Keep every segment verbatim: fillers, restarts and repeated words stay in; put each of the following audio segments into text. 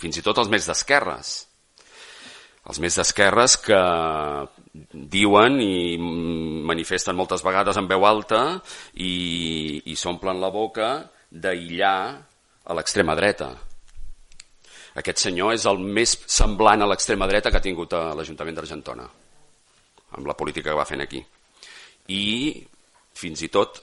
fins i tot els més d'esquerres. Els més d'esquerres que diuen i manifesten moltes vegades en veu alta i, i s'omplen la boca d'aïllar a l'extrema dreta. Aquest senyor és el més semblant a l'extrema dreta que ha tingut a l'Ajuntament d'Argentona, amb la política que va fent aquí. I fins i tot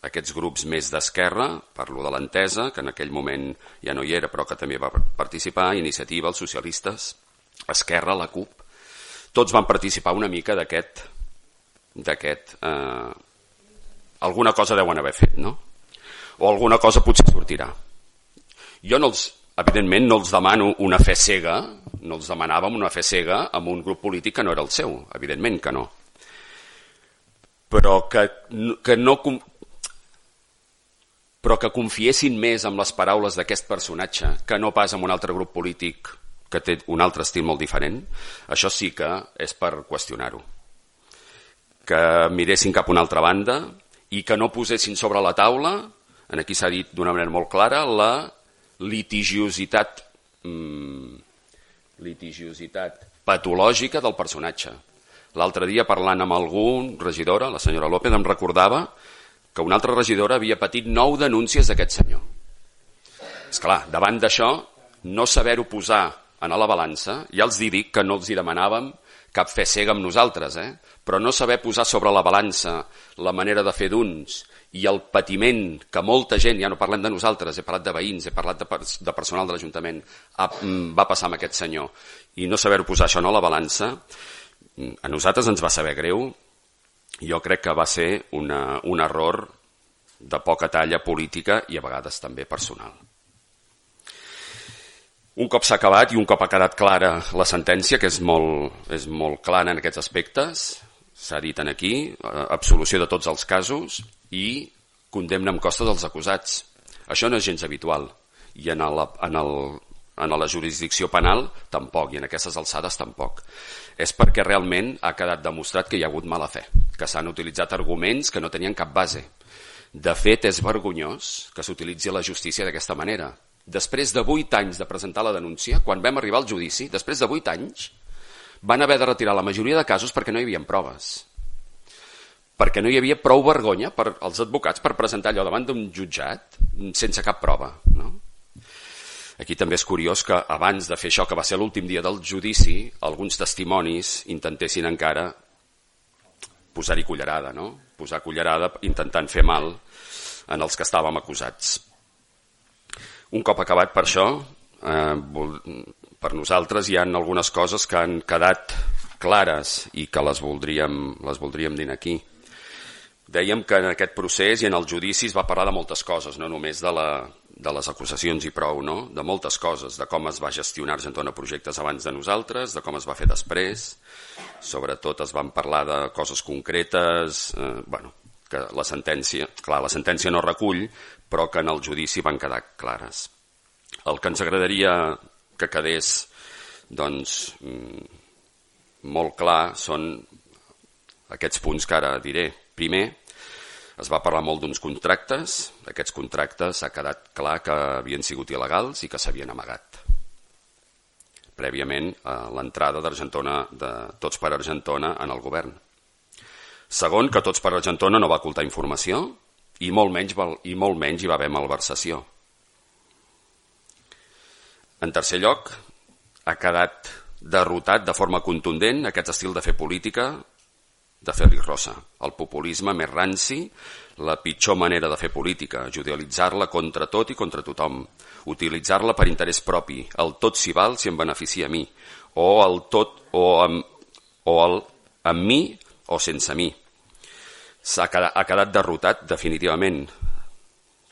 aquests grups més d'esquerra, parlo de l'Entesa, que en aquell moment ja no hi era però que també va participar, Iniciativa, els socialistes, Esquerra, la CUP, tots van participar una mica d'aquest, d'aquest eh, alguna cosa deuen haver fet, no? O alguna cosa potser sortirà. Jo no els, evidentment no els demano una fe cega, no els demanàvem una fe cega amb un grup polític que no era el seu, evidentment que no. Però que, que no però que confiessin més en les paraules d'aquest personatge que no pas en un altre grup polític que té un altre estil molt diferent, això sí que és per qüestionar-ho. Que miressin cap a una altra banda i que no posessin sobre la taula, aquí s'ha dit d'una manera molt clara, la litigiositat, mm, litigiositat patològica del personatge. L'altre dia, parlant amb algun regidora, la senyora López, em recordava que una altra regidora havia patit nou denúncies d'aquest senyor. Esclar, davant d'això, no saber-ho posar en la balança, ja els dic que no els hi demanàvem cap fe cega amb nosaltres, eh? Però no saber posar sobre la balança la manera de fer d'uns i el patiment que molta gent, ja no parlem de nosaltres, he parlat de veïns, he parlat de, de personal de l'Ajuntament, va passar amb aquest senyor, i no saber posar això en la balança, a nosaltres ens va saber greu. Jo crec que va ser una, un error de poca talla política i a vegades també personal. Un cop s'ha acabat i un cop ha quedat clara la sentència, que és molt, és molt clara en aquests aspectes, s'ha dit aquí, absolució de tots els casos i condemna amb costa dels acusats. Això no és gens habitual i en, el, en, el, en la jurisdicció penal tampoc, i en aquestes alçades tampoc. És perquè realment ha quedat demostrat que hi ha hagut mala fe, que s'han utilitzat arguments que no tenien cap base. De fet, és vergonyós que s'utilitzi la justícia d'aquesta manera. Després de vuit anys de presentar la denúncia, quan vam arribar al judici, després de vuit anys, van haver de retirar la majoria de casos perquè no hi havia proves. Perquè no hi havia prou vergonya per als advocats per presentar allò davant d'un jutjat sense cap prova, no? Aquí també és curiós que abans de fer això, que va ser l'últim dia del judici, alguns testimonis intentessin encara posar-hi cullerada, no? Posar cullerada intentant fer mal en els que estàvem acusats. Un cop acabat per això, eh, per nosaltres hi ha algunes coses que han quedat clares i que les voldríem, les voldríem dir aquí. Dèiem que en aquest procés i en el judici es va parlar de moltes coses, no només de, la, de les acusacions i prou, no? De moltes coses, de com es va gestionar Argentona Projectes abans de nosaltres, de com es va fer després, sobretot es van parlar de coses concretes, eh, bueno, que la sentència, clar, la sentència no recull, però que en el judici van quedar clares. El que ens agradaria que quedés doncs, molt clar són aquests punts que ara diré. Primer, es va parlar molt d'uns contractes. Aquests contractes s'ha quedat clar que havien sigut il·legals i que s'havien amagat prèviament a l'entrada d'Argentona, de Tots per Argentona, en el govern. Segon, que Tots per Argentona no va ocultar informació i molt menys, i molt menys hi va haver malversació. En tercer lloc, ha quedat derrotat de forma contundent aquest estil de fer política de Félix Rosa, el populisme més ranci, la pitjor manera de fer política, judicialitzar-la contra tot i contra tothom, utilitzar-la per interès propi, el tot s'hi val si em beneficia a mi, o el tot o amb, o el amb mi o sense mi. S'ha quedat, ha quedat derrotat definitivament.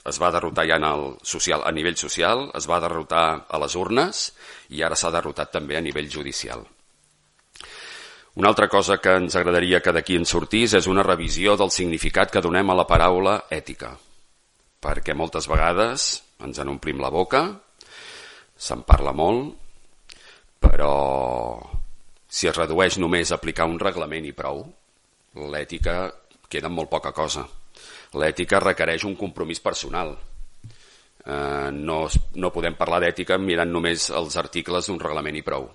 Es va derrotar ja en el social, a nivell social, es va derrotar a les urnes i ara s'ha derrotat també a nivell judicial. Una altra cosa que ens agradaria que d'aquí en sortís és una revisió del significat que donem a la paraula ètica, perquè moltes vegades ens en omplim la boca, se'n parla molt, però si es redueix només a aplicar un reglament i prou, l'ètica queda en molt poca cosa. L'ètica requereix un compromís personal. Eh, no, no podem parlar d'ètica mirant només els articles d'un reglament i prou.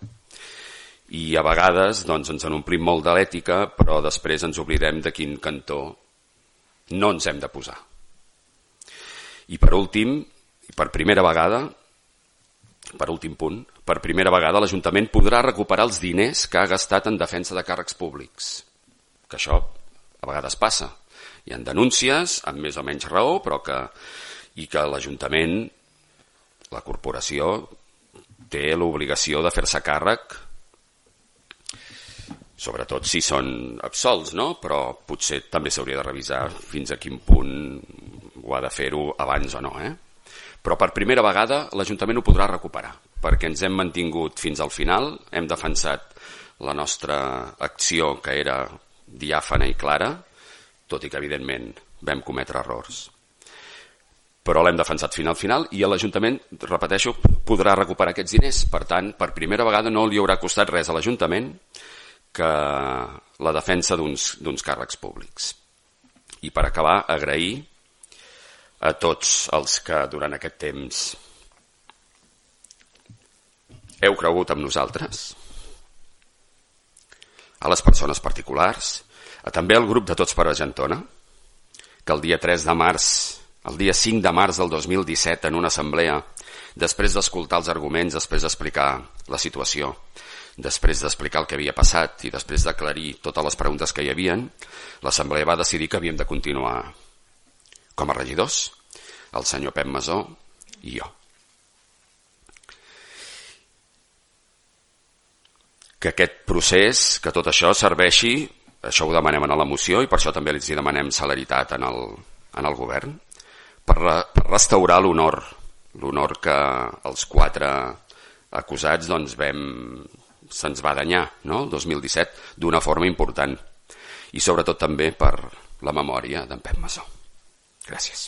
I a vegades doncs, ens en omplim molt de l'ètica, però després ens oblidem de quin cantó no ens hem de posar. I per últim, per primera vegada, per últim punt, per primera vegada l'Ajuntament podrà recuperar els diners que ha gastat en defensa de càrrecs públics. Que això a vegades passa. Hi ha denúncies, amb més o menys raó, però que i que l'Ajuntament, la corporació, té l'obligació de fer-se càrrec, sobretot si són absolts, no? Però potser també s'hauria de revisar fins a quin punt ho ha de fer-ho abans o no. Eh? Però per primera vegada l'Ajuntament ho podrà recuperar, perquè ens hem mantingut fins al final, hem defensat la nostra acció, que era diàfana i clara, tot i que evidentment vam cometre errors. Però l'hem defensat fins al final i l'Ajuntament, repeteixo, podrà recuperar aquests diners. Per tant, per primera vegada no li haurà costat res a l'Ajuntament que la defensa d'uns d'uns càrrecs públics. I per acabar, agrair a tots els que durant aquest temps heu cregut en nosaltres, a les persones particulars, a també al grup de Tots per Argentona, que el dia tres de març el dia cinc de març del dos mil disset, en una assemblea, després d'escoltar els arguments, després d'explicar la situació, després d'explicar el que havia passat i després d'aclarir totes les preguntes que hi havien, l'assemblea va decidir que havíem de continuar com a regidors, el senyor Pep Masó i jo. Que aquest procés, que tot això serveixi, això ho demanem a la moció i per això també els demanem celeritat en el, en el govern, per, per restaurar l'honor, l'honor que els quatre acusats doncs, vam, se'ns va danyar, no? el dos mil disset, d'una forma important. I sobretot també per la memòria d'en Pep Masó. Gràcies.